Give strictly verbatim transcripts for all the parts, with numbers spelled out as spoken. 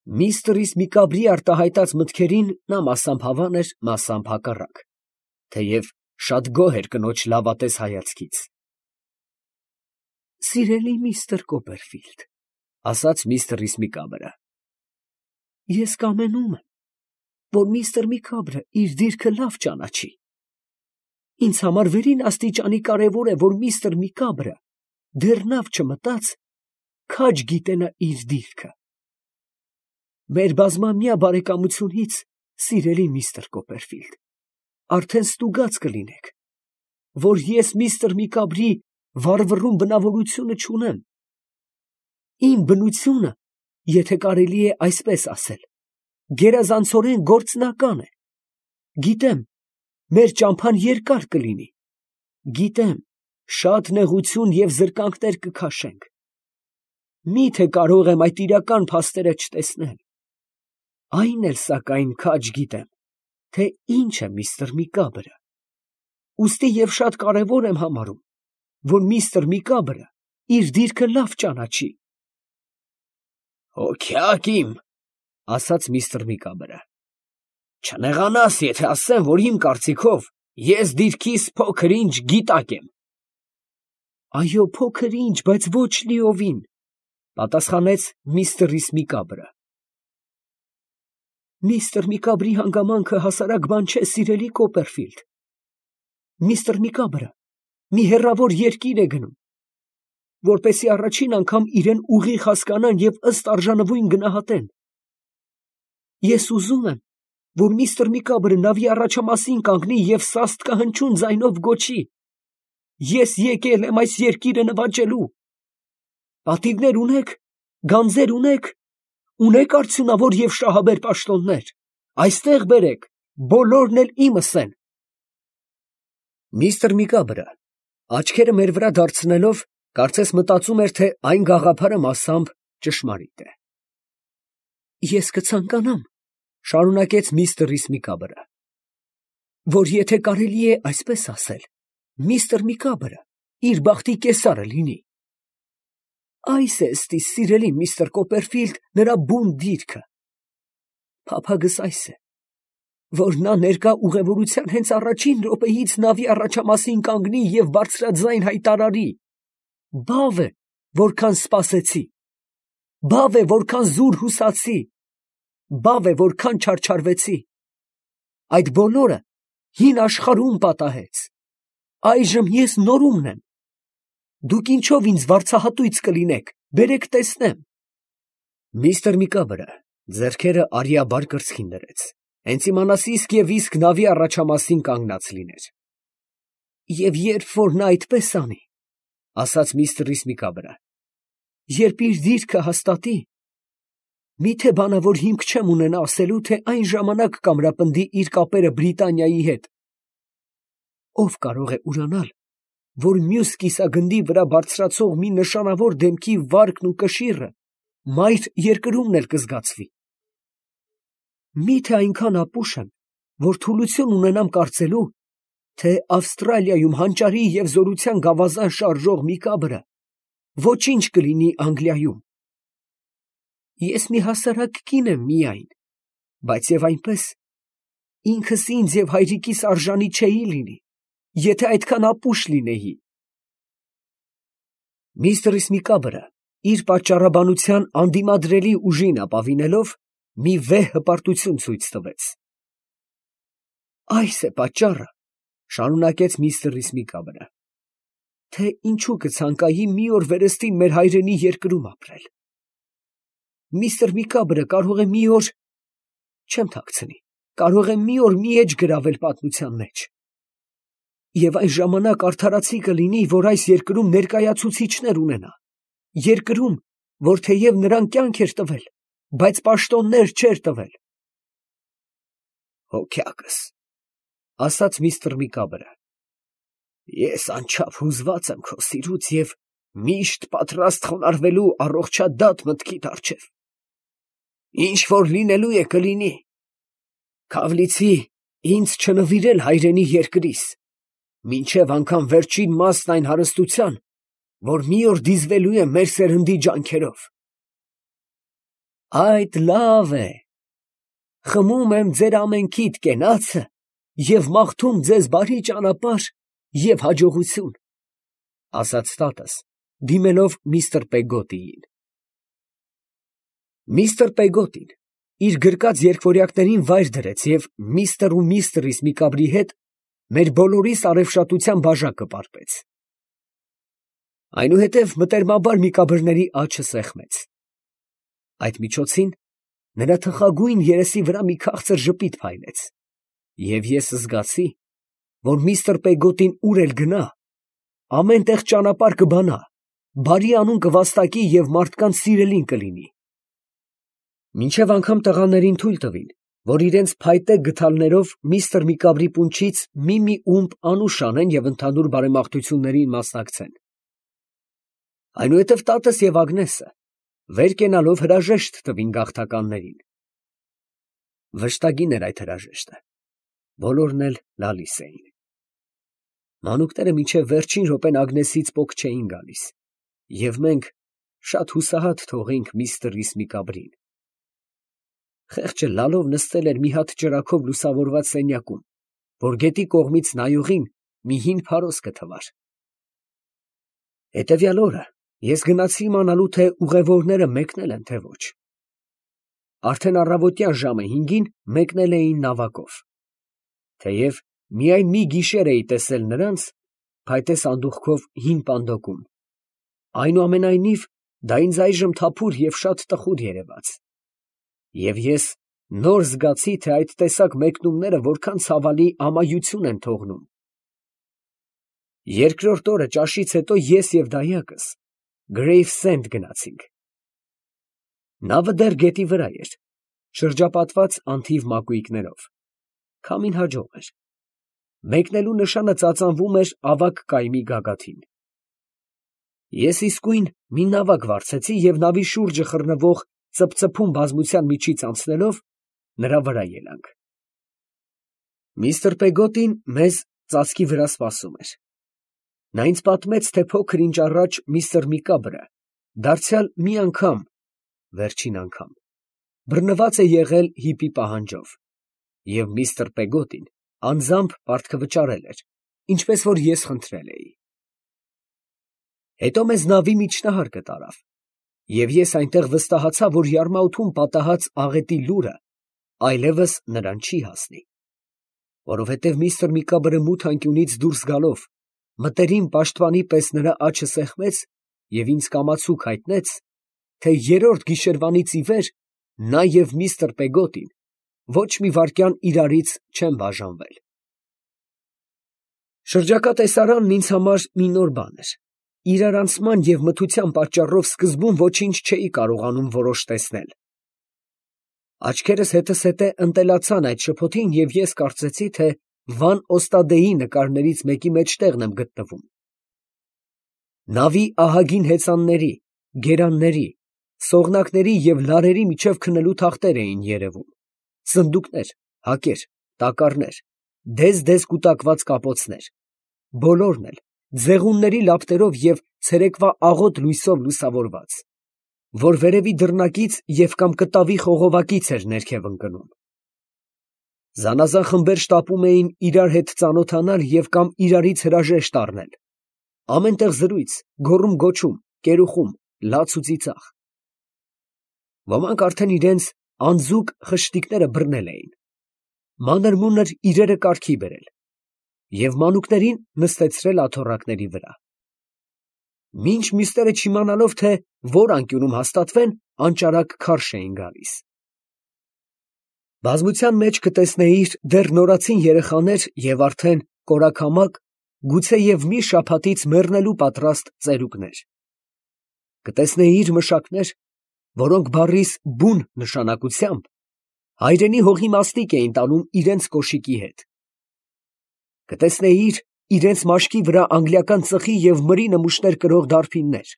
Միստր Իսմիկաբրի արտահայտած մտքերին նա մասամբ հավան էր, մասամբ հակառակ, թեև շատ գոհ էր կնոջ լավատես հայացքից։ «Սիրելի միստր Կոպերֆիլդ, ֊ ասաց միստր Իսմիկաբրը, ֊ ես կամենում եմ, որ միստր Միկաբրը իր դիրքը լավ ճանաչի։ Ինձ համար վերին աստիճանի կարևոր է, որ միստր Միկաբրը դեռ նավ չմտած, քաջ գիտենա իր դիրքը։ Մեր բազմամյա բարեկամությունից, սիրելի միստր Կոպերֆիլդ, արդեն ստուգած կլինեք, որ ես միստր Միկաբրի վառվռուն բնավորությունը չունեմ։ Իմ բնությունը, եթե կարելի է այսպես ասել, գերազանցորեն գործնական է։ Գիտեմ, մեր ճամփան երկար կլինի, գիտեմ, շատ նեղություն և զրկանքներ կքաշենք։ Մի՞թե կարող եմ այդ իրական փաստերը չտեսնել։ Այն էլ սակայն քաջ գիտեմ, թե ինչ է միստր Միկաբրը, ուստի և շատ կարևոր եմ համարում, որ միստր Միկաբրը իր դիրքը լավ ճանաչի։ «Հոգյակ իմ, ֊ ասաց միստր Միկաբրը, ֊ չնեղանաս, եթե ասեմ, որ իմ կարծիքով ես դիրքիս փոքր֊ինչ գիտակ եմ»։ «Այո, փոքր֊ինչ, բայց ոչ լիովին, ֊ պատասխանեց միստր Իսմիկաբրը։ ֊ Միստր Միկաբրի հանգամանքը հասարակ բան չէ, սիրելի Կոպերֆիլդ. միստր Միկաբրը մի հեռավոր երկիր է գնում, որպեսզի առաջին անգամ իրան ուղիղ հասկանան և ըստ արժանվույն գնահատեն։ Ես ուզում եմ, որ միստր Միկաբրը նավի առաջամասին կանգնի և սաստկահնչյուն ձայնով գոչի. «Ես եկել եմ այս երկիրը նվաճելու»։ Պատիվներ ունե՞ք, գանձեր ունե՞ք, ունե՞ք արդյունավոր և շահաբեր պաշտոններ, այստեղ բերեք, բոլորն էլ իմս են։ Միստր Միկաբրը, աչքերը մեր վրա դարձնելով, կարծես մտածում էր, թե այն գաղափարը մասամբ ճշմարիտ է։ «Ես կցանկանամ, ֊ շարունակեց միստր Իսմիկաբրը, ֊ որ եթե կարելի է այսպես ասել, միստր Միկաբրը իր բախտի կեսարը լինի։ Այս է ըստի, սիրելի միստր Կոպերֆիլդ, նրա բուն դիրքը։ Փափագս այս է, որ նա ներկա ուղևորության հենց առաջին րոպեից նավի առաջամասին կանգնի և բարձրաձայն հայտարարի. «Բավ է, որքան սպասեցի, բավ է, որքան զուր հուսացի, բավ է, որքան չարչարվեցի։ Այդ բոլորը հին աշխարհում պատահեց, այժմ ես նորումն եմ։ Դուք ինչով ինձ վարձահատույց կլինեք, բերեք տեսնեմ»։ Միստր Միկաբրը ձեռքերը արիաբար կրծքին դրեց, հենց իմանաս իսկ և իսկ նավի առաջամասին կանգնած լիներ։ «Եվ երբ որ նա այդպես անի, ֊ ասաց միստր Իսմիկաբրը, ֊ երբ իր դիրքը հաստատի, մի՞թե բանավոր հիմք չեմ ունենա ասելու, թե այն ժամանակ կամրապնդի իր կապերը Բրիտանիայի հետ։ Ո՞վ կարող է ուրանալ, որ մյուս կիսագնդի վրա բարձրացող մի նշանավոր դեմքի վարկն ու կշիռը մայր երկրումն էլ կզգացվի։ Մի՞թե այնքան ապուշ եմ, որ թուլություն ունենամ կարծելու, թե Ավստրալիայում հանճարի և զորության գավազան շարժող Միկաբրը ոչինչ կլինի Անգլիայում։ Ես մի հասարակ կին եմ միայն, բայց և այնպես, ինքս ինձ և հայրիկիս արժանի չէի լինի, եթե այդքան ապուշ լինեի։ Միստր Իսմիկաբրը, իր պատճառաբանության անդիմադրելի ուժին ապավինելով, մի վեհ հպարտություն ցույց տվեց։ «Այս է պատճառը, ֊ շարունակեց միստր Իսմիկաբրը, ֊ թե ինչու կցանկայի մի օր վերստին մեր հայրենի երկրում ապրել։ Միստր Միկաբրը կարող է մի օր, չեմ թաքցնի, կարող է մի օր մի էջ գրավել պատմության մեջ։ Եվ այն ժամանակ արդարացի կլինի, որ այս երկրում ներկայացուցիչներ ունենա, երկրում, որ թեև նրան կյանք էր տվել, բայց պաշտոններ չէր տվել»։ «Հոգյակս, ֊ ասաց միստր Միկաբրը, ֊ ես անչափ հուզված եմ քո սիրուց և միշտ պատրաստ խոնարհվելու առողջադատ մտքիդ առջև։ Ինչ որ լինելու է, կլինի։ Քավլիցի ինձ չնվիրել հայրենի երկրիս, մինչև անգամ վերջին մասն այն հարստության, որ մի օր դիզվելու է մեր սերնդի ջանքերով։ Այդ լավ է, խմում եմ ձեր ամենքիդ կենացը և մաղթում ձեզ բարի ճանապարհ և հաջողություն, ֊ ասաց տատս, դիմելով միստր Պեգոտիին։ Միստր Պեգոտին իր գրկած երկվորյակներին վայր դրեց և միստր ու միստրիս Միկաբրի հետ մեր բոլորիս արևշատության բաժակը պարպեց. այնուհետև մտերմաբար Միկաբրների աչը սեղմեց. այդ միջոցին նրա թխագույն երեսի վրա մի քաղցր ժպիտ փայլեց, և ես զգացի, որ միստր Պեգոտին ուր էլ գնա, ամեն տեղ ճանապարհ կբանա, բարի անուն կվաստակի և մարդկանց սիրելին կլինի։ Մինչև անգամ տղաներին թույլ տվին, որ իրենց փայտե գդալներով միստր Միկաբրի պունչից մի֊մի ումպ անուշ անեն և ընդհանուր բարեմաղթություններին մասնակցեն։ Այնուհետև տատս և Ագնեսը վեր կենալով հրաժեշտ տվին գաղթականներին։ Վշտագին էր այդ հրաժեշտը, բոլորն էլ լալիս էին։ Մանուկները մինչև վերջին րոպեն Ագնեսից պոկ չէին գալիս, և մենք շատ հուսահատ թողինք միստր Միկաբրին։ Խեղճը լալով նստել էր մի հատ ճրագով լուսավորված սենյակում, որ գետի կողմից նայողին մի հին փարոս կթվար։ Հետևյալ օրը ես գնացի իմանալու, թե ուղևորները մեկնել են, թե ոչ։ Արդեն առավոտյան ժամը հինգին մեկնել էին նավակով։ Թեև միայն մի գիշեր էի տեսել նրանց փայտե սանդուղքով հին պանդոկում, այնուամենայնիվ դա ինձ այժմ թափուր և շատ տխուր երևաց, և ես նոր զգացի, թե այդ տեսակ մեկնումները որքան ցավալի ամայություն են թողնում։ Երկրորդ օրը ճաշից հետո ես և դայակս Գրեյվսենդ գնացինք։ Նավը դեռ գետի վրա էր, շրջապատված անթիվ մակույկներով, քամին հաջող էր։ Մեկնելու նշանը ծածանվում էր ավագ կայմի գագաթին։ Ես իսկույն մի նավակ վարձեցի և նավի շուրջը խռնվող ծփծփուն բազմության միջից անցնելով նրա վրա ելանք։ Միստր Պեգոտին մեզ ծածկի վրա սպասում էր։ Նա ինձ պատմեց, թե փոքր ինչ առաջ միստր Միկաբրը դարձյալ մի անգամ (վերջին անգամ) բռնված է եղել հիպի պահանջով, և միստր Պեգոտին անձամբ պարտքվճարել էր, ինչպես որ ես խնդրել էի։ Հետո մեզ նավի միջնահարկը տարավ, և ես այնտեղ վստահացա, որ յարմաութում պատահած աղետի լուրը այլևս նրան չի հասնի, որովհետև միստր Միկաբրը մութ անկյունից դուրս գալով մտերիմ պաշտպանի պես նրա աջը սեղմեց և ինձ կամացուկ հայտնեց, թե երրորդ գիշերվանից ի վեր նա և միստր Պեգոտին ոչ մի վայրկյան իրարից չեն բաժանվել։ Շրջակա տեսարանն ինձ համար մի նոր բան էր։ Իրարանցման և մթության պատճառով սկզբում ոչինչ չէի կարողանում որոշ տեսնել։ Աչքերս հետզհետե ընտելացան այդ շփոթին, և ես կարծեցի, թե Վան Օստադեի նկարներից մեկի մեջտեղն եմ գտնվում։ Նավի ահագին հեծանների, գերանների, սողնակների և լարերի միջև քնելու թախտեր էին երևում, սնդուկներ, հակեր, տակառներ, դեզ֊դեզ կուտակված կապոցներ, բոլորն էլ ձեղունների լապտերով և ցերեկվա աղոտ լույսով լուսավորված, որ վերևի դռնակից և կամ կտավի խողովակից էր ներքև ընկնում։ Զանազան խմբեր շտապում էին իրար հետ ծանոթանալ և կամ իրարից հրաժեշտ առնել, ամեն տեղ զրույց, գոռում֊գոչում, կերուխում, լաց ու ծիծաղ։ Ոմանք արդեն իրենց անձուկ խշտիկները բռնել էին, մանր֊մունր իրերը կարգի բերել և մանուկներին նստեցրել աթոռակների վրա։ Մինչ մյուսները չիմանալով, թե որ անկյունում հաստատվեն, անճարակ քարշ էին գալիս։ Բազմության մեջ կտեսնեիր դեռ նորածին երեխաներ և արդեն կորաքամակ, գուցեև մի շաբաթից մեռնելու պատրաստ ծերուկներ։ Կտեսնեիր մշակներ, որոնք բառիս բուն նշանակությամբ հայրենի հողի մաստիկ էին տանում իրենց կոշիկի հետ։ Կտեսնեիր իրենց մաշկի վրա անգլիական ծխի և մրի նմուշներ կրող դարբիններ,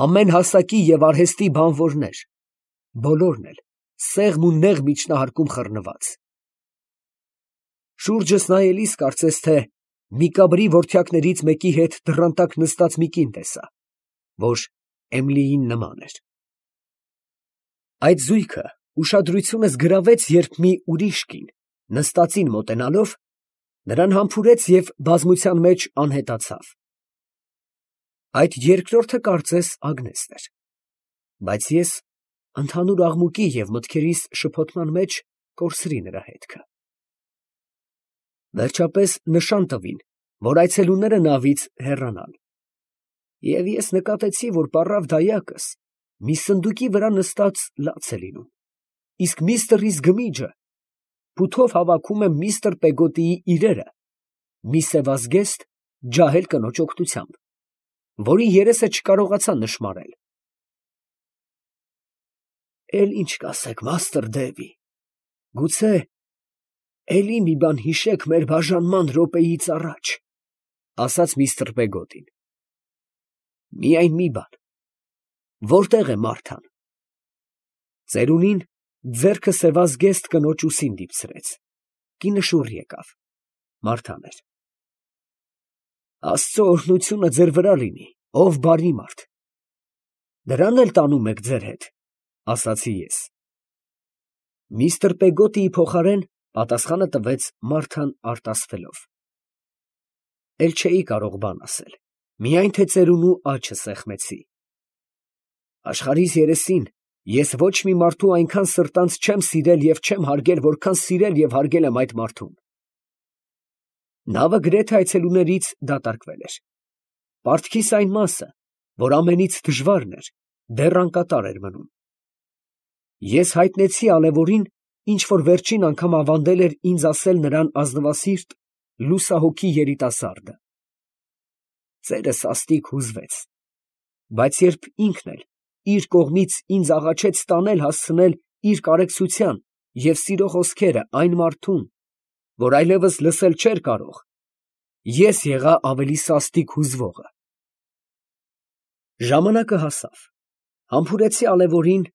ամեն հասակի և արհեստի բանվորներ, բոլորն էլ սեղմ ու նեղ միջնահարկում խռնված։ Շուրջս նայելիս կարծես թե Միկաբրի որդյակներից մեկի հետ դռան տակ նստած մի կին տեսա, որ Էմիլիին նման էր։ Այդ զույգը ուշադրությունս գրավեց, երբ մի ուրիշ կին, նստածին մոտենալով, նրան համբուրեց և բազմության մեջ անհետացավ. այդ երկրորդը կարծես Ագնեսն էր, բայց ես ընդհանուր աղմուկի և մտքերիս շփոթման մեջ կորսրի նրա հետքը։ Վերջապես նշան տվին, որ այցելուները նավից հեռանան, և ես նկատեցի, որ պառավ դայակս մի սնդուկի վրա նստած լաց է լինում, իսկ միստր Իզգմիջը փութով հավաքում է միստր Պեգոտիի իրերը մի սևազգեստ, ջահել կնոջ օգնությամբ, որի երեսը չկարողացա նշմարել։ «Էլ ի՞նչ կասեք, մաստր Դեվի, գուցե էլի մի բան հիշեք մեր բաժանման րոպեից առաջ», ֊ ասաց միստր Պեգոտին։ ֊ Միայն մի բան. որտե՞ղ է Մարթան։ Ծերունին ձեռքը սևազգեստ կնոջ ուսին դիպցրեց. կինը շուռ եկավ. Մարթան էր։ «Աստծո օրհնությունը ձեր վրա լինի, ով բարի մարդ։ Դրան էլ տանում եք ձեր հետ, ֊ ասացի ես։ Միստր Պեգոտիի փոխարեն պատասխանը տվեց Մարթան արտասվելով. էլ չէի կարող բան ասել, միայն թե ծերունու աչը սեղմեցի։ Աշխարհիս երեսին ես ոչ մի մարդու այնքան սրտանց չեմ սիրել և չեմ հարգել, որքան սիրել և հարգել եմ այդ մարդուն։ Նավը գրեթե այցելուներից դատարկվել էր։ Պարտքիս այն մասը, որ ամենից դժվարն էր, դեռ անկատար էր մնում։ Ես հայտնեցի Ալևորին, ինչ որ վերջին անգամ ավանդել էր ինձ ասել նրան ազնվասիրտ, լուսահոգի երիտասարդը։ Ծերը սաստիկ հուզվեց, բայց երբ ինքն էլ իր կողմից ինձ աղաչեց տանել հասցնել իր կարեկցության և սիրո խոսքերը այն մարդուն, որ այլևս լսել չէր կարող, ես եղա ավելի սաստիկ հուզվողը։ Ժամանակը հասավ, համբուրեցի Ալևորին,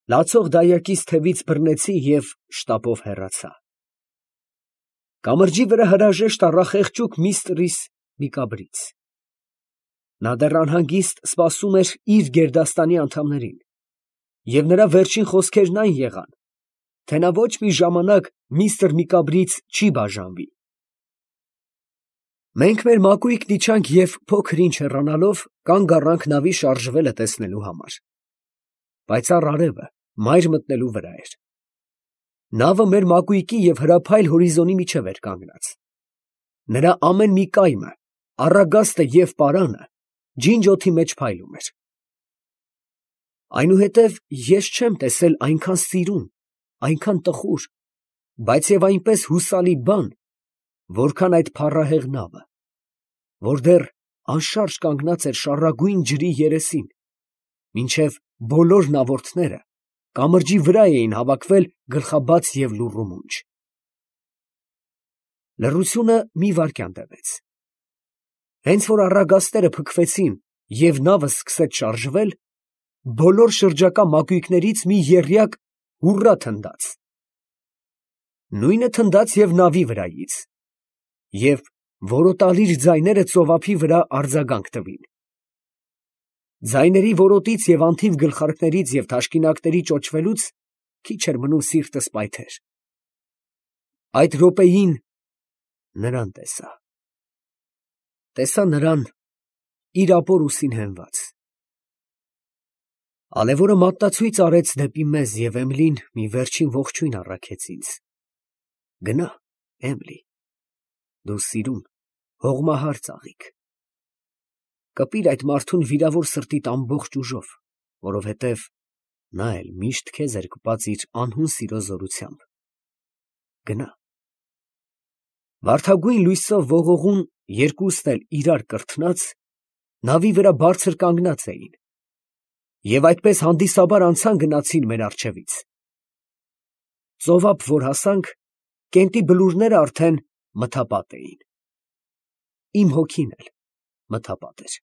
լացող դայակիս թևից բռնեցի և շտապով հեռացա։ Կամրջի վրա հրաժեշտ առա խեղճուկ միստր Միկաբրից։ Նա դեռ անհանգիստ սպասում էր իր գերդաստանի անդամներին, և նրա վերջին խոսքերն այն եղան, թե նա ոչ մի ժամանակ միստր Միկաբրից չի բաժանվի։ Մենք մեր մակույկն իջանք և փոքր ինչ հեռանալով կանգ առանք նավի շարժվելը տեսնելու համար։ Պայծառ արևը մայր մտնելու վրա էր։ Նավը մեր մակույկի և հրափայլ հորիզոնի միջև էր կանգնած։ Նրա ամեն մի կայմը, առագաստը և պարանը ջինջ օդի մեջ փայլում էր։ Այնուհետև ես չեմ տեսել այնքան սիրուն, այնքան տխուր, բայց և այնպես հուսալի բան, որքան այդ փառահեղ նավը, որ դեռ անշարժ կանգնած էր շառագույն ջրի երեսին, մինչև բոլոր նավորդները կամրջի վրա էին հավաքվել գլխաբաց և լուռ ու մունջ։ Լռությունը մի վայրկյան տևեց։ Հենց որ առագաստերը փքվեցին և նավը սկսեց շարժվել, բոլոր շրջակա մակույկներից մի եռյակ հուռա թնդաց։ Նույնը թնդաց և նավի վրայից, և որոտալիր ձայները ծովափի վրա արձագանք տվին։ Ձայների որոտից և անթիվ գլխարկներից և թաշկինակների ճոճվելուց քիչ էր մնում սիրտս պայթեր։ Այդ րոպեին նրան տեսա։ Տեսա նրան իր ապոր ուսին հենված։ Ալևորը մատնացույց արեց դեպի մեզ, և Էմիլին մի վերջին ողջույն առաքեց ինձ։ Գնա, Էմիլի, դու սիրուն, հողմահար ծաղիկ, կպիր այդ մարդուն վիրավոր սրտիդ ամբողջ ուժով, որովհետև նա էլ միշտ քեզ էր կպած իր անհուն սիրո զորությամբ։ Գնա։ Վարդագույն լույսով ողողուն երկուսն էլ իրար կրթնած, նավի վրա բարձր կանգնած էին, և այդպես հանդիսաբար անցան֊գնացին մեր առջևից։ Ծովափ որ հասանք, կենտի բլուրները արդեն մթապատ էին։ Իմ հոգին էլ մթապատ էր։